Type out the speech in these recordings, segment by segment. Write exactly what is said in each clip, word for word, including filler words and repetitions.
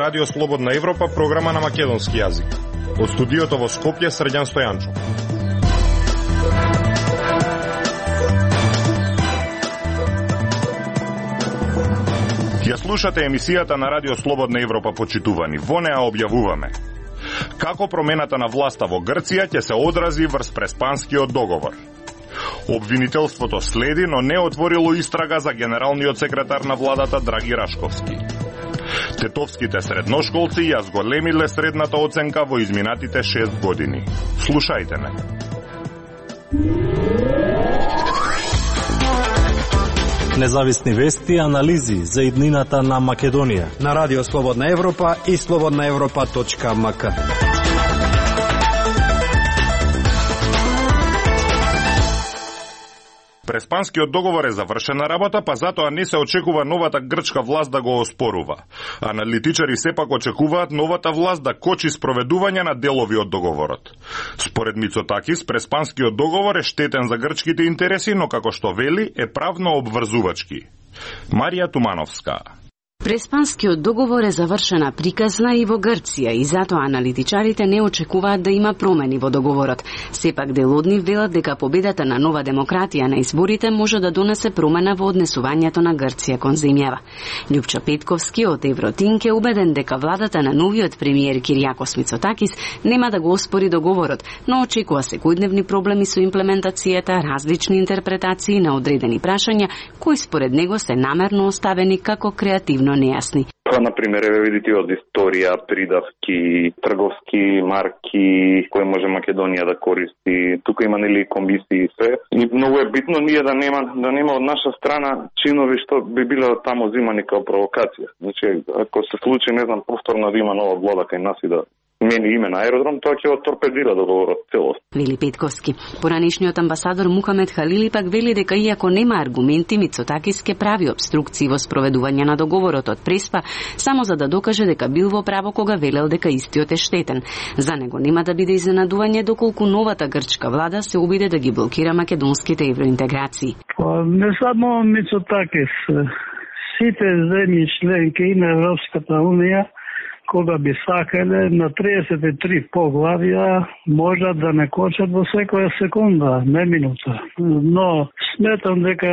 Радио Слободна Европа, програма на македонски јазик. Од студиото во Скопје, Срđan Стојанчов. Ја слушате емисијата на Радио Слободна Европа, почитувани. Во неа објавуваме како промената на власта во Грција ќе се одрази врз Преспанскиот договор. Обвинителството следи, но не отворило истрага за генералниот секретар на владата Драги Рашковски. Тетовските средношколци ја зголемиле средната оценка во изминатите шест години. Слушајте ме. Независни вести и анализи за иднината на Македонија на Радио Слободна Европа и слободна европа точка ем ка. Преспанскиот договор е завршена работа, па затоа не се очекува новата грчка власт да го оспорува. Аналитичари сепак очекуваат новата власт да кочи спроведување на делови од договорот. Според Мицотакис, Преспанскиот договор е штетен за грчките интереси, но како што вели, е правно обврзувачки. Марија Тумановска. Преспанскиот договор е завршена приказна и во Грција и затоа аналитичарите не очекуваат да има промени во договорот. Сепак дел од нив велат дека победата на Нова демократија на изборите може да донесе промена во однесувањето на Грција кон земјава. Љупчо Петковски од Евротинк е убеден дека владата на новиот премиер Киријакос Мицотакис нема да го оспори договорот, но очекува секојдневни проблеми со имплементацијата, различни интерпретации на одредени прашања кои според него се намерно оставени како креативно нејасни. Па, например, видите од историја, придавки, трговски марки, кои може Македонија да користи. Тука има нели комисии и се. И многу е битно ние да нема да нема од наша страна чинови што би биле таму зимани како провокација. Значи, ако се случи, не знам, повторно да има нова влада кај нас и да мени име на аеродром, тоа ќе го торпедира договорот целост. Вели Петковски. Поранешниот амбасадор Мухамед Халили пак вели дека иако нема аргументи, Мицотакис ке прави обструкции во спроведување на договорот од Преспа, само за да докаже дека бил во право кога велел дека истиот е штетен. За него нема да биде изненадување доколку новата грчка влада се обиде да ги блокира македонските евроинтеграции. Не само Мицотакис, сите земји членки на Европската унија кога би сакале на триесет и три поглавја можат да не кочат во секоја секунда, не минута. Но сметам дека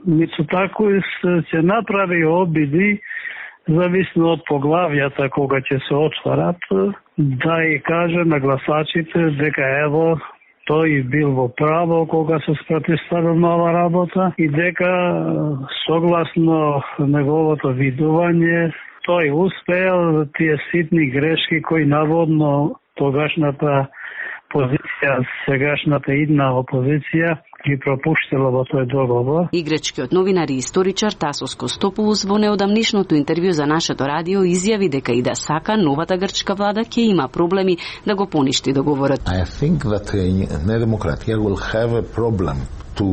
Мицотакис ќе направи обиди, зависно од поглавјата кога ќе се отварат, да и каже на гласачите дека ево тој бил во право кога се спротивставил на ова работа и дека согласно неговото видување тој успеал тие ситни грешки кои наводно тогашната позиција, сегашната идна опозиција ги пропуштила во тој договор. И грчкиот новинар и историчар Тасос Костопулос во неодамнишното интервју за нашето радио изјави дека и да сака новата грчка влада ќе има проблеми да го поништи договорот. I think that Nea Demokratia will have a problem to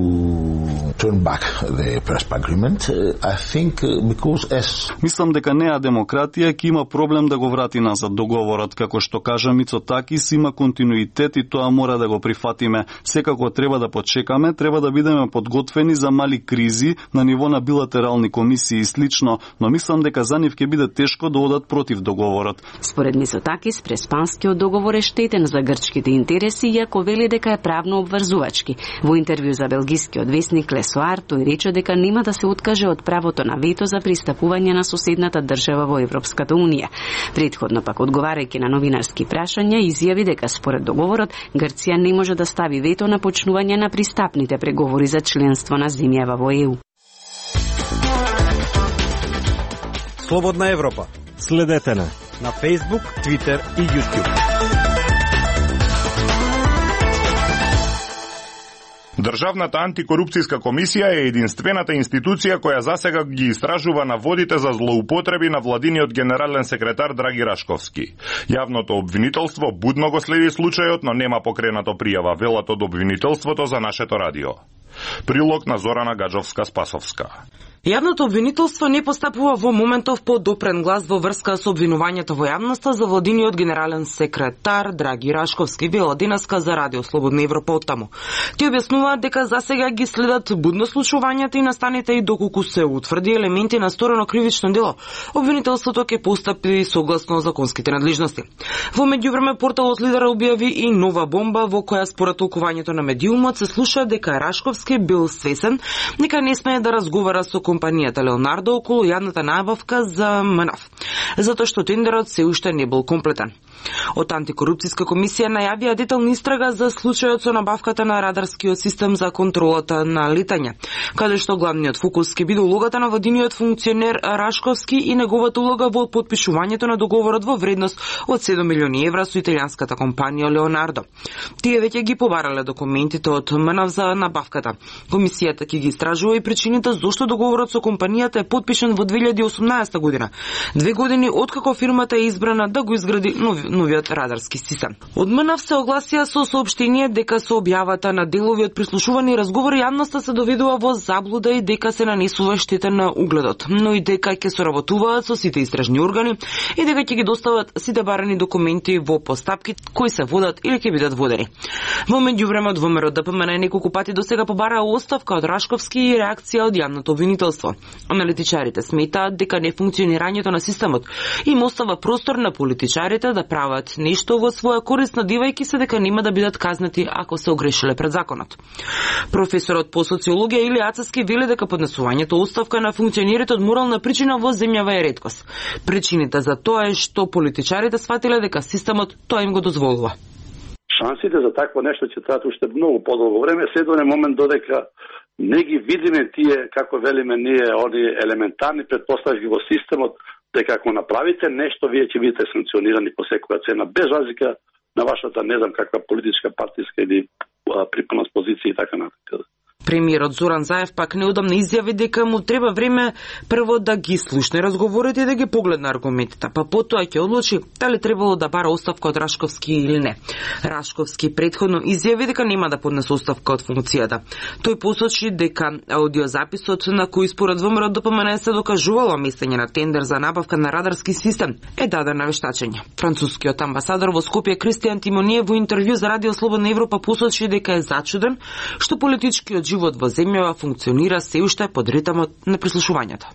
turn back the Prespa agreement. I think because as Мислам дека Неа Демократија ќе има проблем да го врати назад договорот, како што кажа Мицотакис, има континуитет и тоа мора да го прифатиме. Секако треба да почекаме, треба да бидеме подготвени за мали кризи на ниво на билатерални комисии и слично, но мислам дека за нив ќе биде тешко да одат против договорот. Според Мицотакис, Преспанскиот договор е штетен за грчките интереси, иако вели дека е правно обврзувачки. Во интервју за белгискиот весник Лесоар, тој рече дека нема да се откаже од правото на вето за пристапување на соседната држава во Европската унија. Претходно пак одговарајќи на новинарски прашања, изјави дека според договорот Грција не може да стави вето на почнување на пристапните преговори за членство на земјава во Е У. Слободна Европа. Следете на на Facebook, Twitter и YouTube. Државната антикорупцијска комисија е единствената институција која засега ги истражува наводите за злоупотреби на владиниот генерален секретар Драги Рашковски. Јавното обвинителство будно го следи случајот, но нема покренато пријава, велат од обвинителството за нашето радио. Прилог на Зорана Гаджовска-Спасовска. Јавното обвинителство не постапува во моментов по допрен глас во врска со обвинувањето во јавноста за владиниот генерален секретар Драги Рашковски, вела денеска за Радио Слободна Европа оттаму. Ти објаснуваат дека засега ги следат будно случувањата и настаните и доколку се утврди елементи на сторено кривично дело, обвинителството ќе постапи согласно законските надлежности. Во меѓувреме порталот Лидер објави и нова бомба во која според толкувањето на медиумот се слуша дека Рашковски бил свесен дека не смее да разговара со компанијата Леонардо околу јавната набавка за МНАФ, затоа што тендерот се уште не бил комплетен. Од антикорупцијска комисија најавија детална истрага за случајот со набавката на радарскиот систем за контролата на летање, каде што главниот фокус ќе биде улогата на владиниот функционер Рашковски и неговата улога во потпишувањето на договорот во вредност од седум милиони евра со италијанската компанија Леонардо. Тие веќе ги побарале документите од МНАФ за набавката. Комисијата ќе ги истражува и причините зошто договорот со компанијата е потпишан во две илјади и осумнаесета година, две години откако фирмата е избрана да го изгради нови, новиот радарски систем. Од МНАФ се огласија со соопштение дека со објавата на делови од прислушувани разговори јавноста се доведува во заблуда и дека се нанесува штета на угледот, но и дека ќе соработуваат со сите истражни органи и дека ќе ги достават сите барани документи во постапки кои се водат или ќе бидат водени. Во меѓувреме од ВМРО Д П М Н неколку пати досега побараа оставка од Рашковски и реакција од јавното обвинителство. Аналитичарите сметаат дека нефункционирањето на системот им остава простор на политичарите да прават нешто во своја корист, надевајќи се дека нема да бидат казнати ако се огрешиле пред законот. Професорот по социологија Илија Ацевски вели дека поднесувањето оставка на функционерите од морална причина во земјава е реткост. Причините за тоа е што политичарите сфатиле дека системот тоа им го дозволува. Шансите за такво нешто ќе траат уште многу подолго време, се до момент додека не ги видиме тие, како велиме ние, они елементарни претпоставки во системот, дека ако направите нешто, вие ќе бидете санкционирани по секоја цена, без разлика на вашата, не знам каква политичка, партиска или припаност позиција и така натаму. Премиерот Зоран Заев пак неудамно изјави дека му треба време прво да ги слушне разговорите и да ги погледне аргументите, па потоа ќе одлучи дали требало да бара оставка од Рашковски или не. Рашковски претходно изјави дека нема да поднесе оставка од функцијата. Тој посочи дека аудиозаписот на кој според ВМРО Д П М Н се докажувало местење на тендер за набавка на радарски систем е даден на вештачење. Францускиот амбасадор во Скопје Кристијан Тимоние во интервју за Радио Слободна Европа посочи дека е зачуден што политичкиот живот во земјава функционира се уште под ритмот на прислушувањето.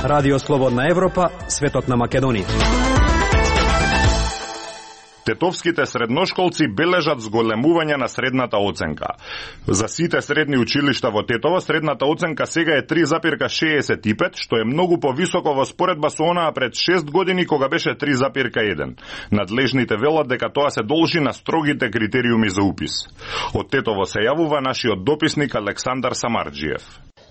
Радио Слободна Европа, светот на Македонија. Тетовските средношколци бележат зголемување на средната оценка. За сите средни училишта во Тетово средната оценка сега е три запирка шеесет и пет, што е многу повисоко во споредба со онаа пред шест години кога беше три запирка еден. Надлежните велат дека тоа се должи на строгите критериуми за упис. Од Тетово се јавува нашиот дописник Александар Самарџиев.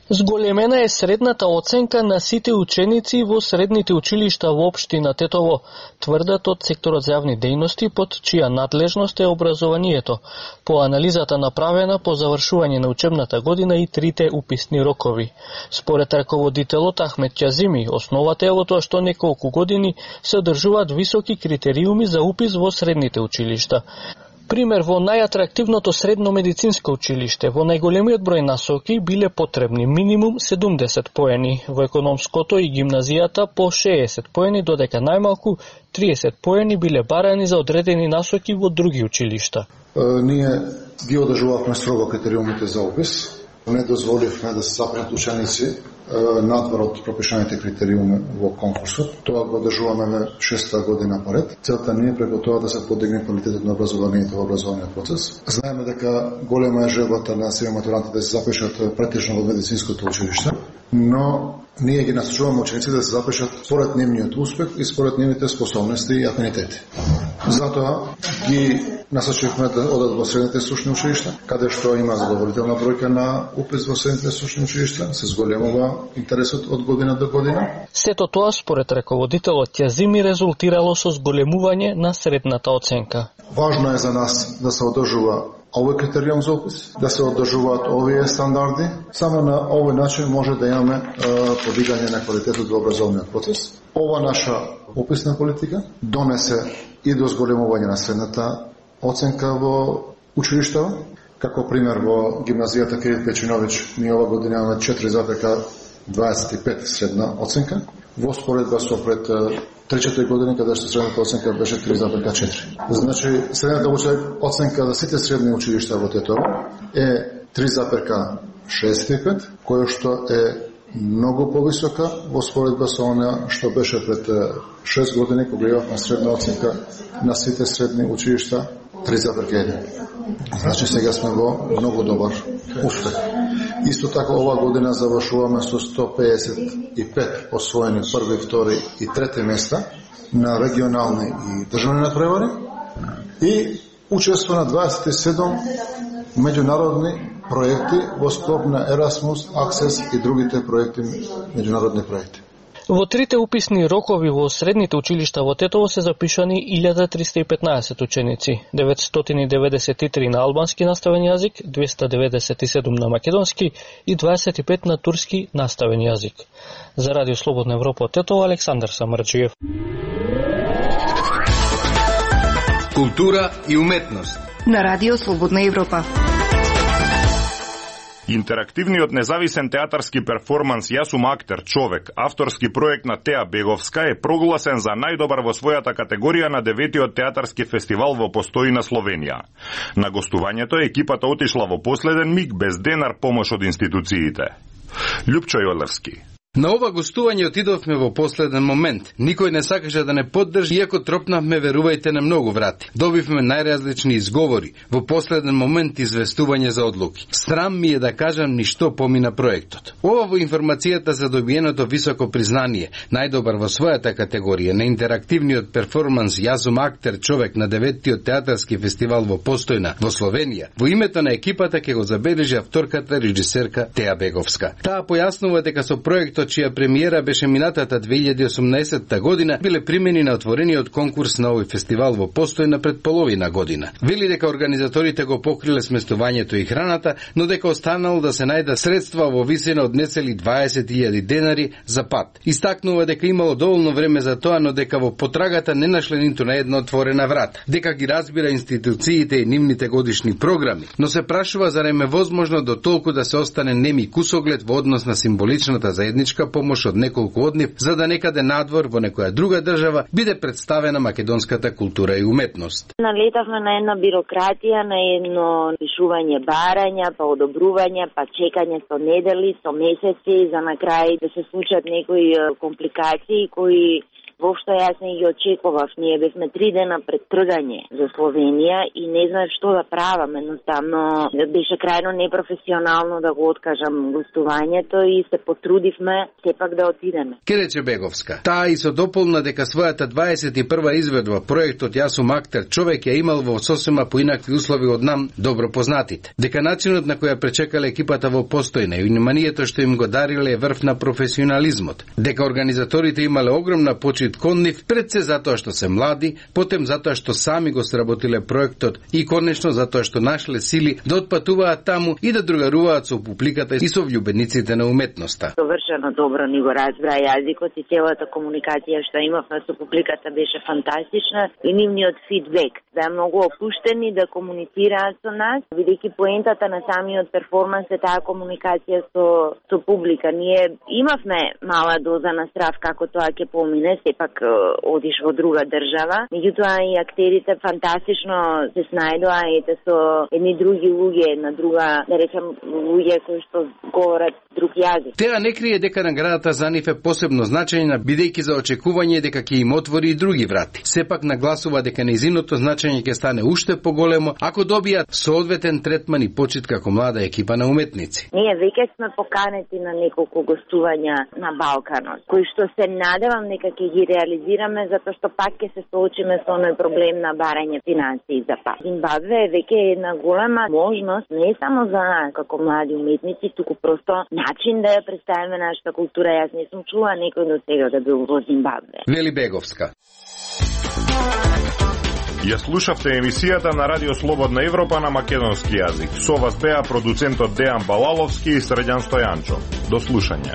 Зголемена е средната оценка на сите ученици во средните училишта во општина Тетово, тврдат од секторот за јавни дејности под чија надлежност е образованието, по анализата направена по завршување на учебната година и трите уписни рокови. Според раководителот Ахмет Ќазими, основата е во тоа што неколку години се одржуваат високи критериуми за упис во средните училишта. Пример, во најатрактивното средно медицинско училиште, во најголемиот број насоки биле потребни минимум седумдесет поени, во економското и гимназијата по шеесет поени, додека најмалку триесет поени биле барани за одредени насоки во други училишта. Е, ние ги одржувавме строго критериумите за упис, не дозволивме да се запрат ученици надвор од пропишаните критериуми во конкурсот. Тоа го одржуваме шеста година поред. Целта не е преку тоа да се подигне квалитетот на образованието во образовниот процес. Знаеме дека голема е желбата на сите матуранти да се запишат претежно во медицинското училиште, но ние ги насочуваме учениците да се запишат според нивниот успех и според нивните способности и афинитети. Затоа ги насочивме да одат во средните стручни училишта, каде што има задоволителна бројка на упис во средните стручни училишта, се зголемува интересот од година до година. Сето тоа според раководителот Ќазими резултирало со зголемување на средната оценка. Важно е за нас да се одржува овој критериум за упис, да се одржуваат овие стандарди. Само на овој начин може да имаме е, подигање на квалитетот во образовниот процес. Ова наша уписна политика донесе и до зголемување на средната оценка во училиштава, Како пример во гимназијата Кирил Печиновиќ ние ова година имаме четири запирка дваесет и пет средна оценка, во споредба со пред три-четири години каде што средната оценка беше три запирка четири. Значи, средната оценка за сите средни училишта во Тетово е три запирка шеесет и пет, која што е многу повисока во споредба со она што беше пред шест години кога имавме средна оценка на сите средни училишта три запирка еден. Значи сега сме во многу добар успех. Исто така ова година завршуваме со сто пеесет и пет освоени први, втори и трети места на регионални и државни натпревари и учество на дваесет и седум меѓународни проекти во склоп на Erasmus, Access и другите проекти, меѓународни проекти. Во трите уписни рокови во средните училишта во Тетово се запишани илјада триста и петнаесет ученици, деветстотини и деветдесет и три на албански наставен јазик, двеста деветдесет и седум на македонски и дваесет и пет на турски наставен јазик. За Радио Слободна Европа од Тетово, Александар Самарджиев. Култура и уметност на Радио Слободна Европа. Интерактивниот независен театарски перформанс Јас сум актер, човек, авторски проект на Теа Беговска е прогласен за најдобар во својата категорија на деветиот театарски фестивал во Постојна, Словенија. На гостувањето екипата отишла во последен миг без денар помош од институциите. Љупчо Јолевски. На ова гостување отидовме во последен момент. Никој не сакаше да не поддржи, иако тропнавме, верувајте, на многу врати. Добивме најразлични изговори, во последен момент известување за одлуки. Срам ми е да кажам ни што помина проектот. Ова во информацијата за добиеното високо признание, најдобар во својата категорија на интерактивниот перформанс Јас сум актер, човек на деветиот театарски фестивал во Постојна, во Словенија, во името на екипата ќе го забележи авторката режисерка Теа Беговска. Таа појаснува дека со проектот чија премиера беше минатата две илјади и осумнаесетта година, биле примени на отворениот конкурс на овој фестивал во Постојна пред половина година. Вели дека организаторите го покриле сместувањето и храната, но дека останало да се најдат средства во висина од нецели дваесет илјади денари за пат. Истакнува дека имало доволно време за тоа, но дека во потрагата не нашле ниту на една отворена врата. Дека ги разбира институциите и нивните годишни програми, но се прашува зарем е возможно до толку да се остане неми кусоглед во однос на символичната заедничка помош од неколку од нив, за да некаде надвор во некоја друга држава биде представена македонската култура и уметност. Налетавме на една бирократија, на едно пишување барања, па одобрување, па чекање со недели, со месеци, за на крај да се случат некои компликации кои воопшто јас не ги очекував. Ние бевме три дена пред тргање за Словенија и не знаев што да правам. Едноставно беше крајно непрофесионално да го откажам гостувањето и се потрудивме сепак да отидеме. Ке Беговска. Таа и со дополна дека својата дваесет и прва изведба проектот Јас сум актер, човек ја имал во сосема поинакви услови од нам добро познатите. Дека начинот на која пречекале екипата во Постојна и вниманието што им го дариле е врв на професионализмот. Дека организаторите имале огромна почит кон нив, пред се затоа што се млади, потем затоа што сами го сработиле проектот и конечно затоа што нашле сили да отпатуваат таму и да другаруваат со публиката и со влюбениците на уметноста. Совршено добро ни го разбра јазикот и целата комуникација што имавме со публиката беше фантастична и нивниот фидбек да е многу опуштени да комуницираат со нас, бидејќи поентата на самиот перформанс е таа комуникација со со публика. Ние имавме мала доза на страв како тоа ќе помине, сепак одиш во друга држава, меѓутоа и актерите фантастично се снајдоа ете со едни други луѓе на друга, да речам, луѓе кои што говорат друг јазик. Теа не крие дека наградата за нив е посебно значајна, бидејќи за очекување дека ќе им отвори и други врати. Сепак нагласува дека нејзиното значење ќе стане уште поголемо ако добијат соодветен третман и почит како млада екипа на уметници. Ние веќе сме поканети на неколку гостувања на Балканот, кои што се надевам дека ќе ги реализираме, затоа што пак ќе се соочиме со оној проблем на барање финансии за пак. Зимбабве е веќе една голема можност не само за нас како млади уметници, туку просто начин да ја представиме нашата култура. Јас не сум чула некој до сега да бил во Зимбабве. Вели Беговска. Ја слушавте емисијата на Радио Слободна Европа на македонски јазик. Со вас беа продуцентот Дејан Балаловски и Срđan Стојанчо. До слушање.